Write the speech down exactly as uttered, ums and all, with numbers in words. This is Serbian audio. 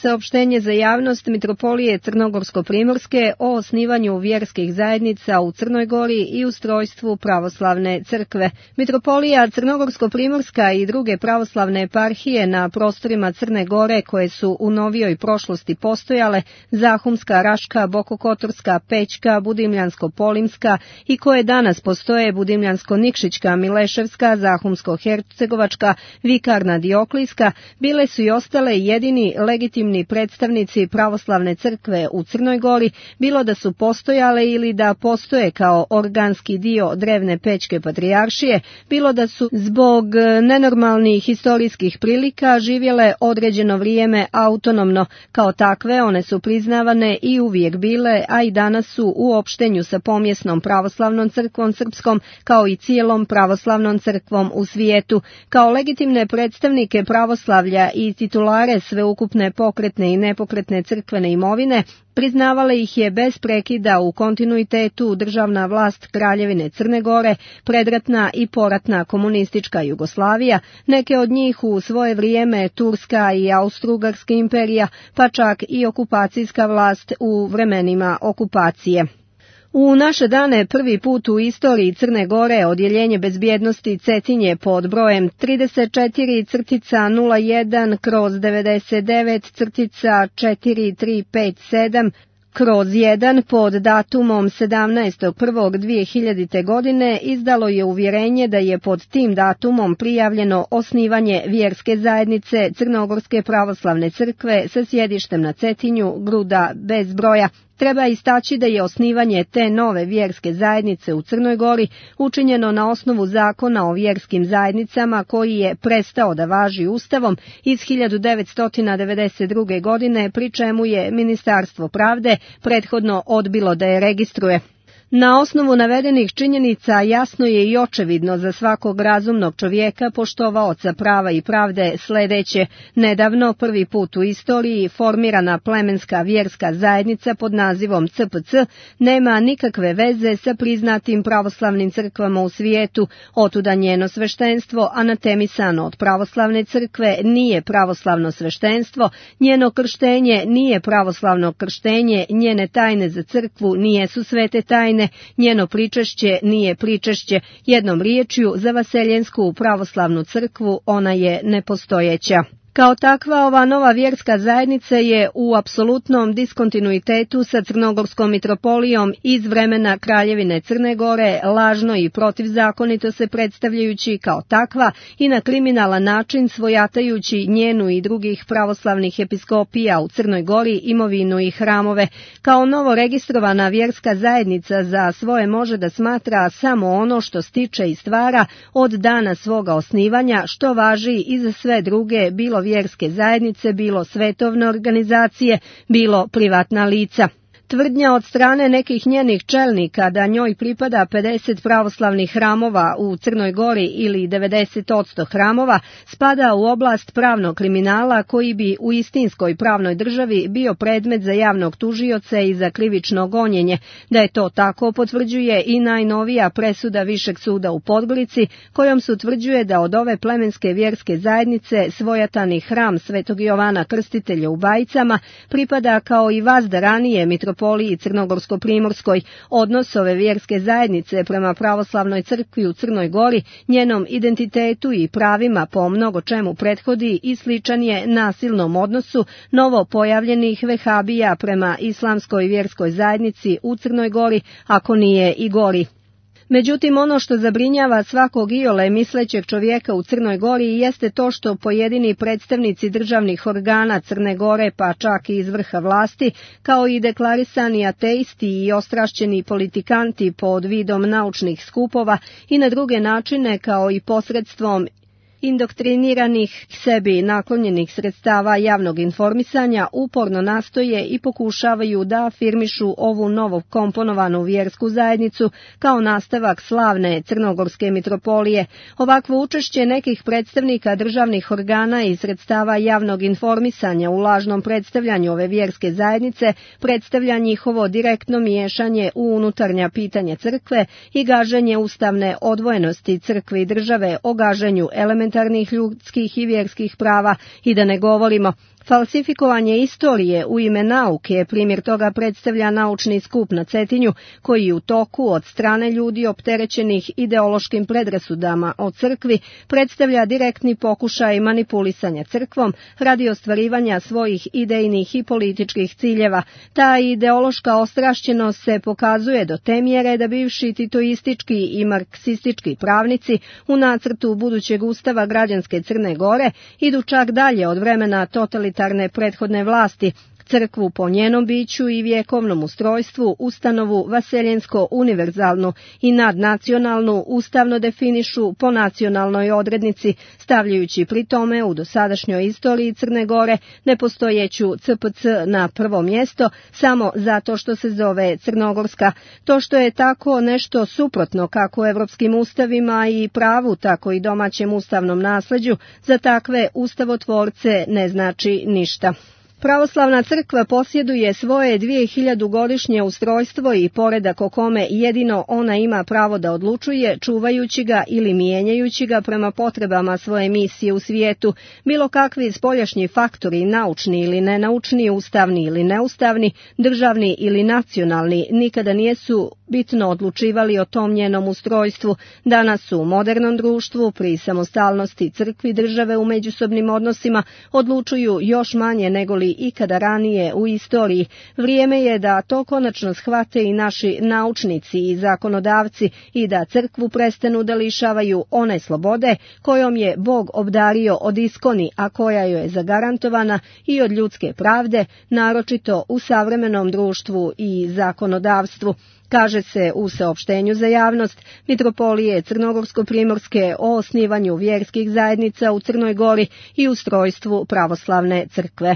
Saopštenje za javnost Mitropolije Crnogorsko-primorske o osnivanju vjerskih zajednica u Crnoj Gori i ustrojstvu pravoslavne crkve. Mitropolija Crnogorsko-primorska i druge pravoslavne eparhije na prostorima Crne Gore koje su u novijoj prošlosti postojale, Zahumska, Raška, Bokokotorska, Pećka, Budimljansko-Polimska i koje danas postoje Budimljansko-Nikšićka, Mileševska, Zahumsko-Hercegovačka, Vikarna, Dioklijska, bile su i ostale jedini legitimni predstavnici pravoslavne crkve u Crnoj Gori, bilo da su postojale ili da postoje kao organski dio drevne Pećke patrijaršije, bilo da su zbog nenormalnih historijskih prilika živjele određeno vrijeme autonomno. Kao takve one su priznavane i uvijek bile, a i danas su u opštenju sa pomjesnom pravoslavnom crkvom srpskom, kao i cijelom pravoslavnom crkvom u svijetu. Kao legitimne predstavnike pravoslavlja i titulare sveukupne pokretne i nepokretne crkvene imovine, priznavala ih je bez prekida u kontinuitetu državna vlast Kraljevine Crne Gore, predratna i poratna komunistička Jugoslavija, neke od njih u svoje vrijeme Turska i Austro-Ugarska imperija, pa čak i okupacijska vlast u vremenima okupacije. U naše dane prvi put u istoriji Crne Gore odjeljenje bezbjednosti Cetinje pod brojem trideset četiri nula jedan kroz devedeset devet četiri tri pet sedam kroz jedan pod datumom sedamnaestog prvog dvije hiljadite. godine izdalo je uvjerenje da je pod tim datumom prijavljeno osnivanje vjerske zajednice Crnogorske pravoslavne crkve sa sjedištem na Cetinju, Gruda bez broja. Treba istaći da je osnivanje te nove vjerske zajednice u Crnoj Gori učinjeno na osnovu zakona o vjerskim zajednicama koji je prestao da važi Ustavom iz hiljadu devetsto devedeset druge. godine, pri čemu je Ministarstvo pravde prethodno odbilo da je registruje. Na osnovu navedenih činjenica jasno je i očevidno za svakog razumnog čovjeka poštovaoca prava i pravde sljedeće: nedavno prvi put u istoriji formirana plemenska vjerska zajednica pod nazivom C P C nema nikakve veze sa priznatim pravoslavnim crkvama u svijetu, otuda njeno sveštenstvo anatemisano od pravoslavne crkve nije pravoslavno sveštenstvo, njeno krštenje nije pravoslavno krštenje, njene tajne za crkvu nijesu svete tajne, njeno pričešće nije pričešće, jednom riječju za vaseljensku pravoslavnu crkvu ona je nepostojeća. Kao takva, ova nova vjerska zajednica je u apsolutnom diskontinuitetu sa Crnogorskom mitropolijom iz vremena Kraljevine Crne Gore, lažno i protivzakonito se predstavljajući kao takva i na kriminalan način svojatajući njenu i drugih pravoslavnih episkopija u Crnoj Gori, imovinu i hramove. Kao novo registrovana vjerska zajednica za svoje može da smatra samo ono što stiče i stvara od dana svoga osnivanja, što važi i za sve druge, bilo vjerske zajednice, bilo svetovne organizacije, bilo privatna lica. Tvrdnja od strane nekih njenih čelnika da njoj pripada pedeset pravoslavnih hramova u Crnoj Gori ili devedeset posto hramova spada u oblast pravnog kriminala koji bi u istinskoj pravnoj državi bio predmet za javnog tužioca i za krivično gonjenje. Da je to tako potvrđuje i najnovija presuda Višeg suda u Podgorici, kojom se utvrđuje da od ove plemenske vjerske zajednice svojatani hram Svetog Jovana Krstitelja u Bajicama pripada kao i vazda ranije mitropoliji Crnogorsko-primorskoj. Odnos ove vjerske zajednice prema pravoslavnoj crkvi u Crnoj Gori, njenom identitetu i pravima po mnogo čemu prethodi i sličan je nasilnom odnosu novo pojavljenih vehabija prema islamskoj vjerskoj zajednici u Crnoj Gori, ako nije i gori. Međutim, ono što zabrinjava svakog iole mislećeg čovjeka u Crnoj Gori jeste to što pojedini predstavnici državnih organa Crne Gore, pa čak i iz vrha vlasti, kao i deklarisani ateisti i ostrašćeni politikanti pod vidom naučnih skupova i na druge načine kao i posredstvom indoktriniranih sebi naklonjenih sredstava javnog informisanja uporno nastoje i pokušavaju da afirmišu ovu novo komponovanu vjersku zajednicu kao nastavak slavne Crnogorske mitropolije. Ovakvo učešće nekih predstavnika državnih organa i sredstava javnog informisanja u lažnom predstavljanju ove vjerske zajednice predstavlja njihovo direktno miješanje u unutarnja pitanja crkve i gaženje ustavne odvojenosti crkve i države, o gaženju elementarnih ljudskih i vjerskih prava i da ne govorimo Falsifikovanje istorije u ime nauke, primjer toga predstavlja naučni skup na Cetinju, koji u toku od strane ljudi opterećenih ideološkim predrasudama o crkvi predstavlja direktni pokušaj manipulisanja crkvom radi ostvarivanja svojih idejnih i političkih ciljeva. Ta ideološka ostrašćenost se pokazuje do te mjere da bivši titoistički i marksistički pravnici u nacrtu budućeg ustava građanske Crne Gore idu čak dalje od vremena totalitarne prethodne vlasti. Crkvu po njenom biću i vjekovnom ustrojstvu, ustanovu vaseljensko-univerzalnu i nadnacionalnu ustavno definišu po nacionalnoj odrednici, stavljajući pri tome u dosadašnjoj istoriji Crne Gore nepostojeću C P C na prvo mjesto samo zato što se zove Crnogorska. To što je tako nešto suprotno kako evropskim ustavima i pravu, tako i domaćem ustavnom nasleđu, za takve ustavotvorce ne znači ništa. Pravoslavna crkva posjeduje svoje dvijehiljadugodišnje ustrojstvo i poredak o kome jedino ona ima pravo da odlučuje, čuvajući ga ili mijenjajući ga prema potrebama svoje misije u svijetu. Bilo kakvi spoljašnji faktori, naučni ili nenaučni, ustavni ili neustavni, državni ili nacionalni, nikada nijesu bitno odlučivali o tom njenom ustrojstvu. Danas u modernom društvu, pri samostalnosti crkvi države u međusobnim odnosima, odlučuju još manje nego li ikada ranije u istoriji. Vrijeme je da to konačno shvate i naši naučnici i zakonodavci i da crkvu prestanu da lišavaju one slobode kojom je Bog obdario od iskoni, a koja joj je zagarantovana i od ljudske pravde, naročito u savremenom društvu i zakonodavstvu. Kaže se u saopštenju za javnost Mitropolije Crnogorsko-primorske o osnivanju vjerskih zajednica u Crnoj Gori i ustrojstvu pravoslavne crkve.